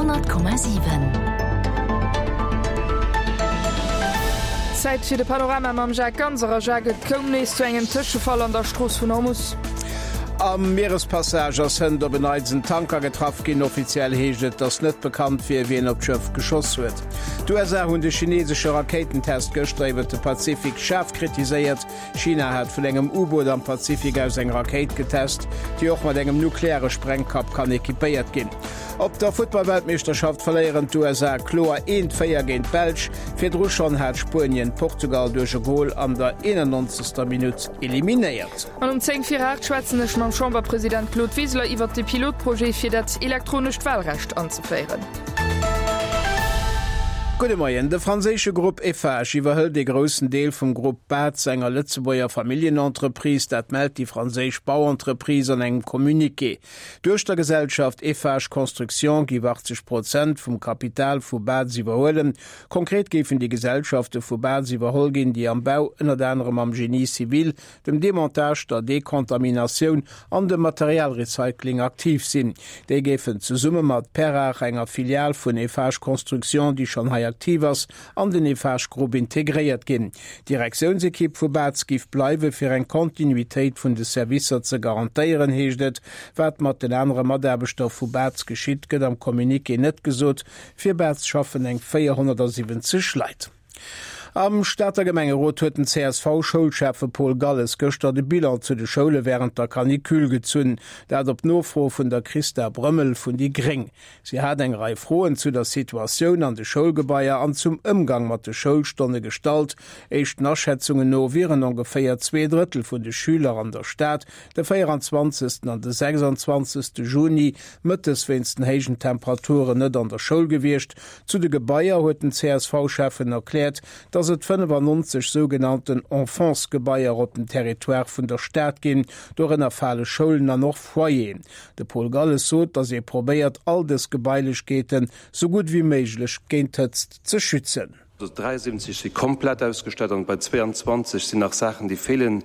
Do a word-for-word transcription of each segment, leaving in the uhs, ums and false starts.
honnert Komma siwen. Zäit fir de Panorama mam Jacques Ganser. A Jacques, et koum nees zu engem Tëschefall an der Strooss vun Hormus. Am Mierespassage ass hënt op en Neits en Tanker getraff ginn. Offiziell heescht et, datt net bekannt wier, wien op d'Schëff geschoss huet. D'USA hunn de chinesesche Rakéitentest gëschter iwwer de Pazifik schaarf kritiséiert. China hat vun engem U-Boot am Pazifik aus eng Rakéit getest, déi och mat engem nukleare Sprengkapp kann equipéiert ginn. Op der Futtballweltmeeschterschaft verléieren d'USA kloer eent, véier géint d'Belsch. Virdru schonn hat Spuenien Portugal duerch e Gol an der eenannonzegster Minutt eliminéiert. An um zéng vir aacht schwätzen ech mam Chamberpresident Claude Wiseler iwwert de Pilotprojet fir dat elektronescht Wahlrecht anzeféieren. Gudde Moien. De franséische Grupp Eiffage iwwerhëlt ee groussen Deel vum Grupp Baz, enger Lëtzebuerger Familljenentreprise. Dat mellt déi franséisch Bauentreprise an engem Communiqué. D'Duechtergesellschaft Eiffage Construction géif achtzeg Prozent vum Kapital vu Baz iwwerhuelen. Konkret géifen déi Gesellschafte vu Baz iwwerholl ginn, déi am Bau, ënnert anerem am Génie civil, dem Demontage, der Dekontaminatioun an dem Materialrecycling aktiv sinn. Déi géifen zesumme mat Perrach, enger Filial vun Eiffage Construction, déi schonn hei aktiv ass, an den Eiffage Group integréiert ginn. D'Direktiounsekipp vu Baz giff bleiwe fir eng Kontinuitéit vun de Servicer ze garantéieren, heescht et. Wat mat den anere Mataarbechter vu Baz geschitt, gëtt am Communiqué net gesot. Fir Baz schaffen eng véierhonnertsiwwenzeg Leit. Am Stater Gemengerot huet den C S V-Schoulschäffe Paul Galles gëschter de Bilan zu de Schoule wärend der Canicule gezunn. Dat op Nofro vun der Christa Brömmel vun déi Gréng. Si hat eng Rei Froen zu der Situatioun an de Schoulgebaier an zum Ëmgang mat de Schoulstonne gestallt. Éischten Aschätzungen no wieren ongeféier zwee Drëttel vun de Schüler an der Stad de véieranzwanzegsten an de sechsanzwanzegste Juni mëttes wéinst den héijen Temperaturen net an der Schoul gewiescht. Zu de Gebaier huet den C S V-Schäffen erkläert, dass et fënnefannonzeg sougenannten Enfants-Gebaier op dem Territoire vun der Stad ginn, dorënner fale Schoulen an och Foyeren. De Paul Galles sot, dass ee probéiert, all dës Gebailechkeeten sou gutt wéi méiglech géint d'Hëtzt ze schützen. dräiundsiwwenzeg si komplett ausgestatt an bei zweeanzwanzeg sinn nach Saachen, déi feelen.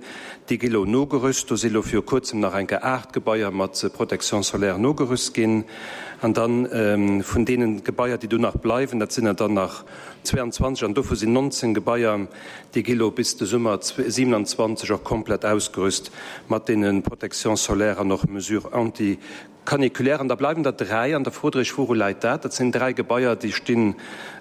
Déi gi lo nogerüst. Do si lo viru Kuerzem nach eng Kéier aacht Gebaier mat Protection solaire nogerüst ginn. An dann vun deene Gebaier, déi do nach bleiwen, dat sinn der dann nach zweeanzwanzeg an dovu sinn nonzéng Gebaier, déi gi lo bis de Summer siewenundzwanzeg och komplett ausgerüst mat deene Protections solaires an och Mesures anti Caniculaire, an da bleiwen der dräi. An da frot Der Iech, Wouru läit dat? Dat sinn dräi Gebaier, déi stinn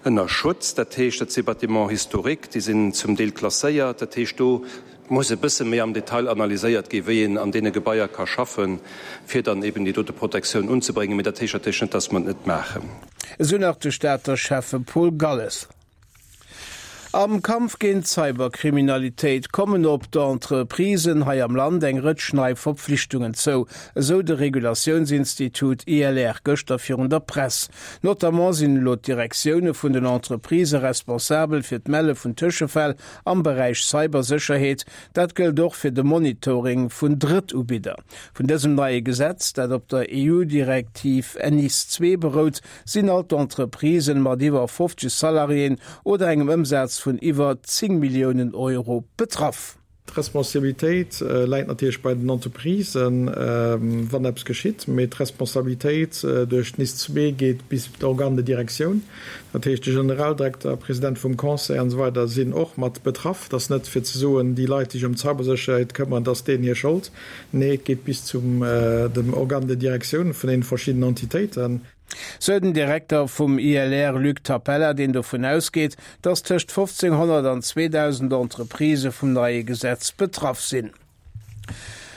ënner Schutz. Dat heescht, dat si Bâtiments historiques, déi sinn zum Deel klasséiert. Dat heescht, do muss e bësse méi am Detail analyséiert ginn, wéi een an deene Gebaier ka schaffen, fir dann eben déi dote Protektioun unzebréngen. Mee dat heescht natierlech net, dass mer et net maachen. Esou nach de Stater Schäffe Paul Galles. Am Kampf géint d'Cyberkriminalitéit kommen op d'Entreprisen hei am Land eng Rëtsch nei Verpflichtungen zou, esou de Regulatiounsinstitut I L R gëschter virun der Press. Notamment sinn elo d'Direktioune vun den Entreprisë responsabel fir d'Melle vun Tëschefäll am Beräich Cybersécherheet. Dat gëllt och fir de Monitoring vun Drëttubidder. Vun dësem neie Gesetz, dat op der E U-Direktiv N I S zwee berout, sinn all d'Entreprisen mat iwwer fofzeg Salariéen oder engem Ëmsaz vun iwwer zéng Milliounen Euro betraff. D'Responsabilitéit läit natierlech bei den Entreprisen, wann eppes geschitt, mee d'Responsabilitéit duerch d'N I S zwee geet bis d'Organes de direction. Dat heescht, de Generaldirekter, President vum Conseil an esou weider sinn och mat betraff. Et ass net fir ze soen, déi Leit, déi sech ëm d'Cybersécherheet këmmeren, dat ass deenen hir Schold. Nee, et geet bis zum dem Organe de direction vun deene verschiddenen Entitéiten. Sou den Direkter vum I L R Luc Tapella, deen dovun ausgeet, datt tëscht fofzénghonnert an zweedausend Entreprisë vum neie Gesetz betraff sinn.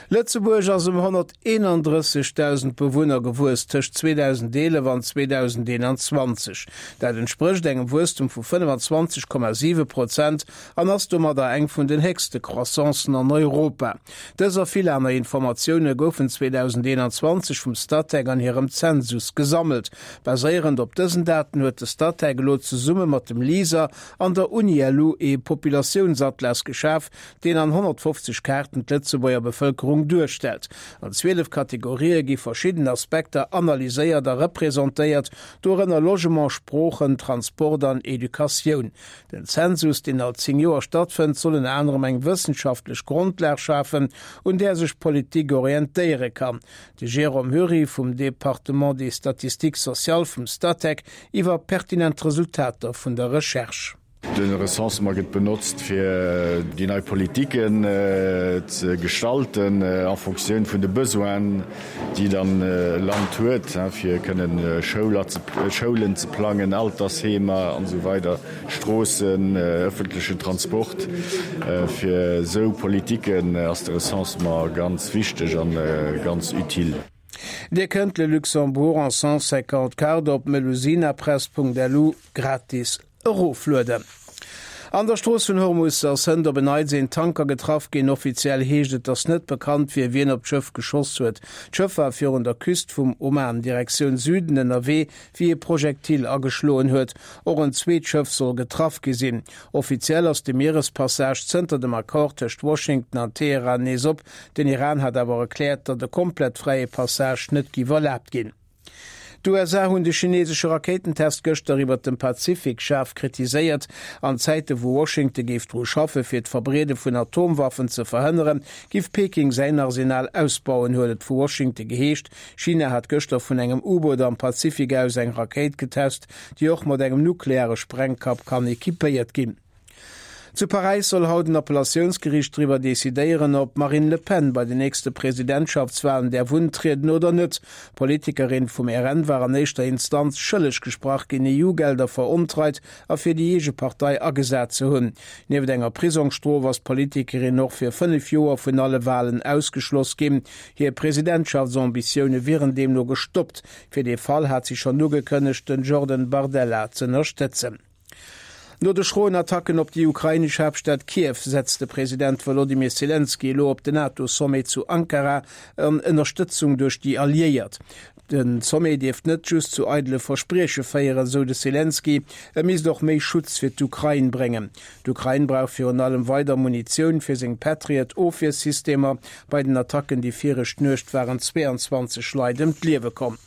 Lëtzebuerg ass ëm honnerteenandrëssegdausend Bewunner gewuess tëscht zweedausendeelef an zweedausendeenanzwanzeg. Dat entsprécht engem Wuesstem vu fënnefenzwanzeg Komma siwe Prozent an ass domadder eng vun den héchste Croissancen an Europa. Dës a vill aner Informatioune goufen zweedausendeenanzwanzeg vum Statec an hirem Zensus gesammelt. Baséierend op dësen Daten huet de Statec elo zesumme mat dem LISER an der Uni L U ee Populatiounsatlas geschaf, deen an honnertfofzeg Kaarten d'Lëtzebuerger Bevëlkerung Bevëlkerung duerstellt. An zwielef Kategorië gi verschidden Aspekter analyséiert a representéiert, dorënner Logement, Sproochen, Transport an Educatioun. Den Zensus, deen all zéng Joer stattfënnt, soll ënner anerem eng wëssenschaftlech Grondlag schafen, un där sech d'Politik orientéiere kann. De Jérôme Hury vum Département des statistiques sociales vum Statec iwwer pertinent Resultater vun der Recherche. De Recensement gëtt benotzt fir déi nei Politiken ze gestalten en Fonctioun vun de Besoinen, déi dann e Land huet, fir kënnen Schoulen ze plangen, Altersheemer an esou weider, Stroossen, ëffentlechen Transport. Fir esou Politiken ass de Recensement ganz wichteg a ganz utile. Dir kënnt Le Luxembourg en cent cinquante cartes op melusinapress.lu gratis eroflueden. An der Strooss vun Hormus ass hënt op en Neits een Tanker getraff ginn. Offiziell heescht et, datt net bekannt wier, wien op d'Schëff geschoss huet. D'Schëff war virun der Küst vum Oman Direktioun Süden ënnerwee, wéi e Projektil ageschloen huet. Och en zweet Schëff soll getraff gi sinn. Offiziell ass de Mierespassage zënter dem Accord tëscht Washington an Teheran nees op. Den Iran hat awer erkläert, datt e komplett fräie Passage net giff erlaabt ginn. D'USA hunn de chinesesche Rakéitentest gëschter iwwert dem Pazifik schaarf kritiséiert. An Zäite wou Washington géif dru schaffe fir d'Verbreede vun Atomwaffen ze verhënneren, giff Peking säin Arsenal ausbauen, huet et vu Washington geheescht. China hat gëschter vun engem U-Boot am Pazifik aus eng Rakéit getest, déi och mat engem nukleare Sprengkapp kann equipéiert ginn. Zu Paräis soll haut en Appellatiounsgeriicht driwwer decidéieren, ob d'Marine Le Pen bei den nächste Presidentschaftswalen däerf untrieden oder net. D'Politikerin vum R N war an éischter Instanz schëlleg gesprach ginn, E U-Gelder verontreit a fir déi eege Partei agesat ze hunn. Nieft enger Prisongsstrof ass d'Politikerin och fir fënnef Joer vun alle Walen ausgeschloss ginn. Hir Presidentschaftsambitioune wieren deemno gestoppt. Fir dee Fall hat si schonn ugekënnegt, den Jordan Bardella z'ënnerstëtzen. No de schroen Attacken op déi ukrainesch Haaptstad Kiew setzt de President Wolodymyr Selenskyj elo op den NATO-Sommet zu Ankara an Ënnerstëtzung duerch déi Alliéiert. Den Sommet dierft net just zu eidele Versprieche féieren, sou de Selenskyj, e misst och méi Schutz fir d'Ukrain bréngen. D'Ukrain brauch virun allem weider Munitioun fir seng Patriot-Ofwiersystemer. Bei den Attacken déi viregt Nuecht waren zweeanzwanzeg Leit ëm d'Liewe komm.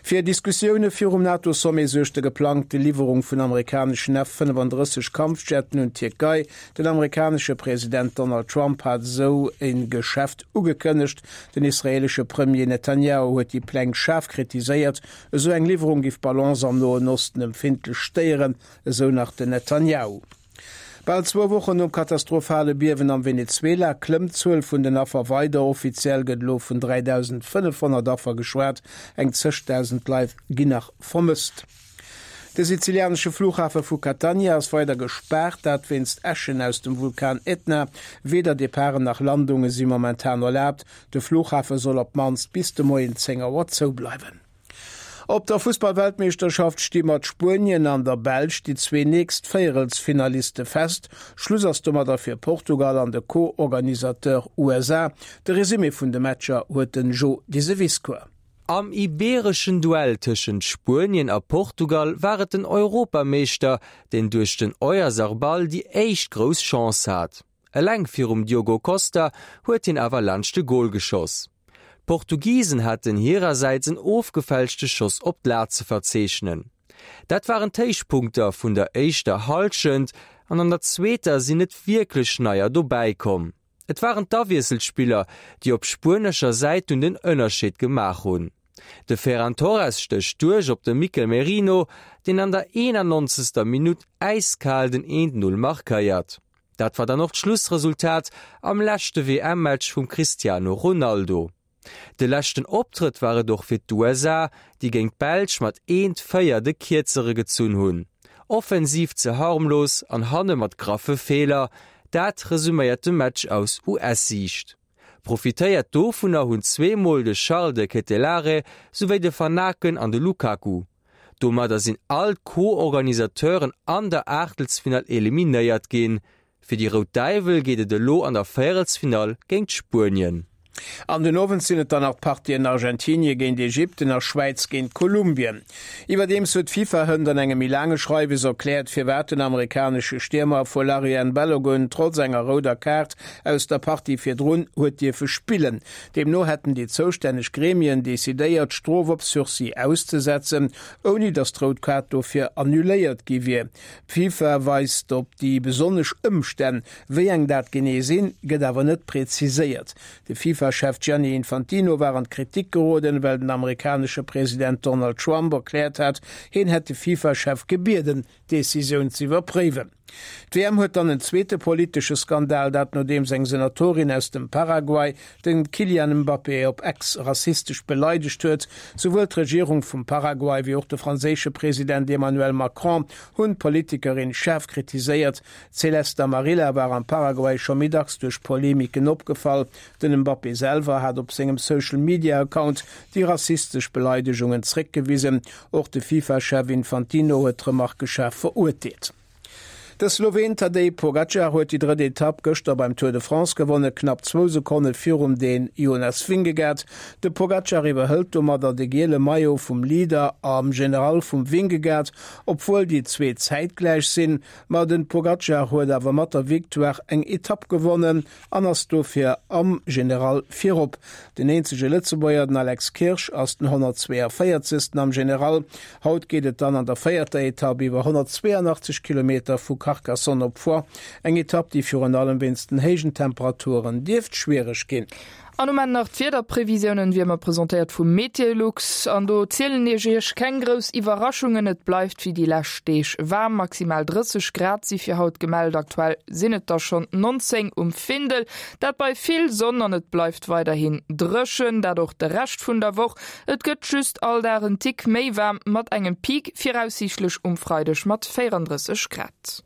Fir Diskussioune virum NATO-Sommet suergt déi geplangte Liwwerung vun amerikaneschen F fënnefandrësseg Kampfjetten un d'Tierkei. Den amerikanesche President Donald Trump hat esou e Geschäft ugekënnegt. Den israeelesche Premier Netanjahu huet déi Pläng schaarf kritiséiert. Esou eng Liwwerung giff d'Balance am Noen Osten empfindlech stéieren, esou nach den Netanjahu. Bal zwou Wochen nom katastrophale Biewen am Venezuela klëmmt d'Zuel vun den Affer weider. Offiziell gëtt elo vun dräidausendfënnefhonnert Affer geschwat, eng zéngdausend Leit ginn nach vermësst. De sizilianesche Flughafe vu Catania ass weider gespaart, dat wéinst Äschen aus dem Vulkan Ätna. Weder Departen nach Landunge si momentan erlaabt. De Flughafe soll op d'mannst bis de Moien zéng Auer zoubleiwen. Op der Fussballweltmeeschterschaft sti mat Spuenien an der Belsch déi zwee nächst Véierelsfinaliste fest. Schluss ass domadder fir Portugal an de Co-Organisateur U S A. De Resumé vun de Matcher huet den Jo Diseviscourt. Am ibeereschen Duell tëschent Spuenien a Portugal war et den Europameeschter, deen duerch den Oyarzabal déi éischt grouss Chance hat. Eleng virum Diogo Costa huet hien awer laanscht de Gol geschoss. D'Portugisen haten hirersäits en ofgefälschte Schoss op d'Lat ze verzeechnen. Dat waren d'Héichpunkter vun der éischter Hallschent an an der zweeter sinn net wierklech Neier dobäi komm. Et waren d'Awiesselspiller, déi op spuenescher Säit dunn den Ënnerscheed gemaach hunn. De Ferran Torres stécht duerch op de Mikel Merino, deen an der eenannonzegster Minutt äiskal den eent Null markéiert. Dat war dann och d'Schlussresultat am leschte W M-Match vum Cristiano Ronaldo. De leschten Optrëtt war et och fir d'U S A, déi géint d'Belsch mat eent véier de Kierzere gezunn hunn. Offensiv ze harmlos an hanne mat graffe Feeler, dat resuméiert de Match aus U S-Siicht. Profitéiert dovunner hunn zweemol de Charles de Ketelaere souwéi de Vanaken an de Lukaku. Domadder sinn all d'Co-Organisateuren an der Aachtelsfinall eliminéiert ginn. Fir déi Rout Däiwel geet et elo an der Véierelsfinall géint Spuenien. An den Owend sinn et dann nach d'Partien Argentinie géint Ägypten a Schwäiz géint Kolumbien. Iwwerdeems huet d'FIFA hënt an engem méi laange Schreiwes erkläert, firwat den amerikanesche Stiermer Folarin Balogun trotz enger rouder Kaart aus der Partie virdrun huet dierfe spillen. Deemno hätten déi zoustänneg Gremien decidéiert, d'Strof op Sursis auszesetzen, ouni datt d'rout Kaart dofir annuléiert gi wier. D'FIFA weist op déi besonnesch Ëmstänn, wéi eng dat genee sinn, gëtt awer net preziséiert. De FIFA-Chef Gianni Infantino war an d'Kritik geroden, well den amerikanesche President Donald Trump erkläert hat, hien hätt de FIFA-Chef gebieden, d'Decisioun z'iwwerpréiwen. D'WM huet dann en zweete politesche Skandal, dat nodeems eng Senatorin aus dem Paraguay den Kylian Mbappé op X rassistesch beleidegt huet. Souwuel d'Regierung vum Paraguay wéi och de franséische President Emmanuel Macron hunn d'Politikerin schaarf kritiséiert. D'Celeste Amarilla war am Paraguay scho méi dacks duerch Polemiken opgefall. Den Mbappé selwer hat op sengem Social-Media-Account déi rassistesch Beleidegungen zréckgewisen. Och de FIFA-Chef Infantino huet d'Remarke schaarf verurteelt. De Sloween Tadej Pogacar huet déi drëtt Etapp gëschter beim Tour de France gewonnen, knapp zwou Sekonne virum Dän Jonas Vingegaard. De Pogacar iwwerhëlt domadder de giele Maillot vum Leader am General vum Vingegaard, obwuel déi zwee zäitgläich sinn. Ma de Pogacar huet awer mat der Victoire eng Etapp gewonnen an ass dofir am General virop. Den eenzege Lëtzebuerger, den Alex Kirsch, ass den honnertzweeënvéierzegsten am General. Haut geet et dann an der véierter Etapp iwwer honnertzweeënachtzeg Kilometer vu Carcassonne op Foix. Eng Etapp, déi virun allem wéinst den héijen Temperaturen dierft schwiereg ginn. An um Enn nach d'Wiederprevisiounen, wéi ëmmer presentéiert vu Meteolux. An do zielen ech iech keng grouss Iwwerraschungen, et bleift wéi déi lescht Deeg waarm, maximal drësseg Grad si fir haut gemellt, aktuell sinn et der schonn nonzéng um Findel. Dat bei vill Sonn an et bleift weiderhin dréchen, dat och de Rescht vun der Woch. Et gëtt just all Dag en Tick méi waarm, mat engem Peak viraussiichtlech um Freideg mat véierandrësseg Grad.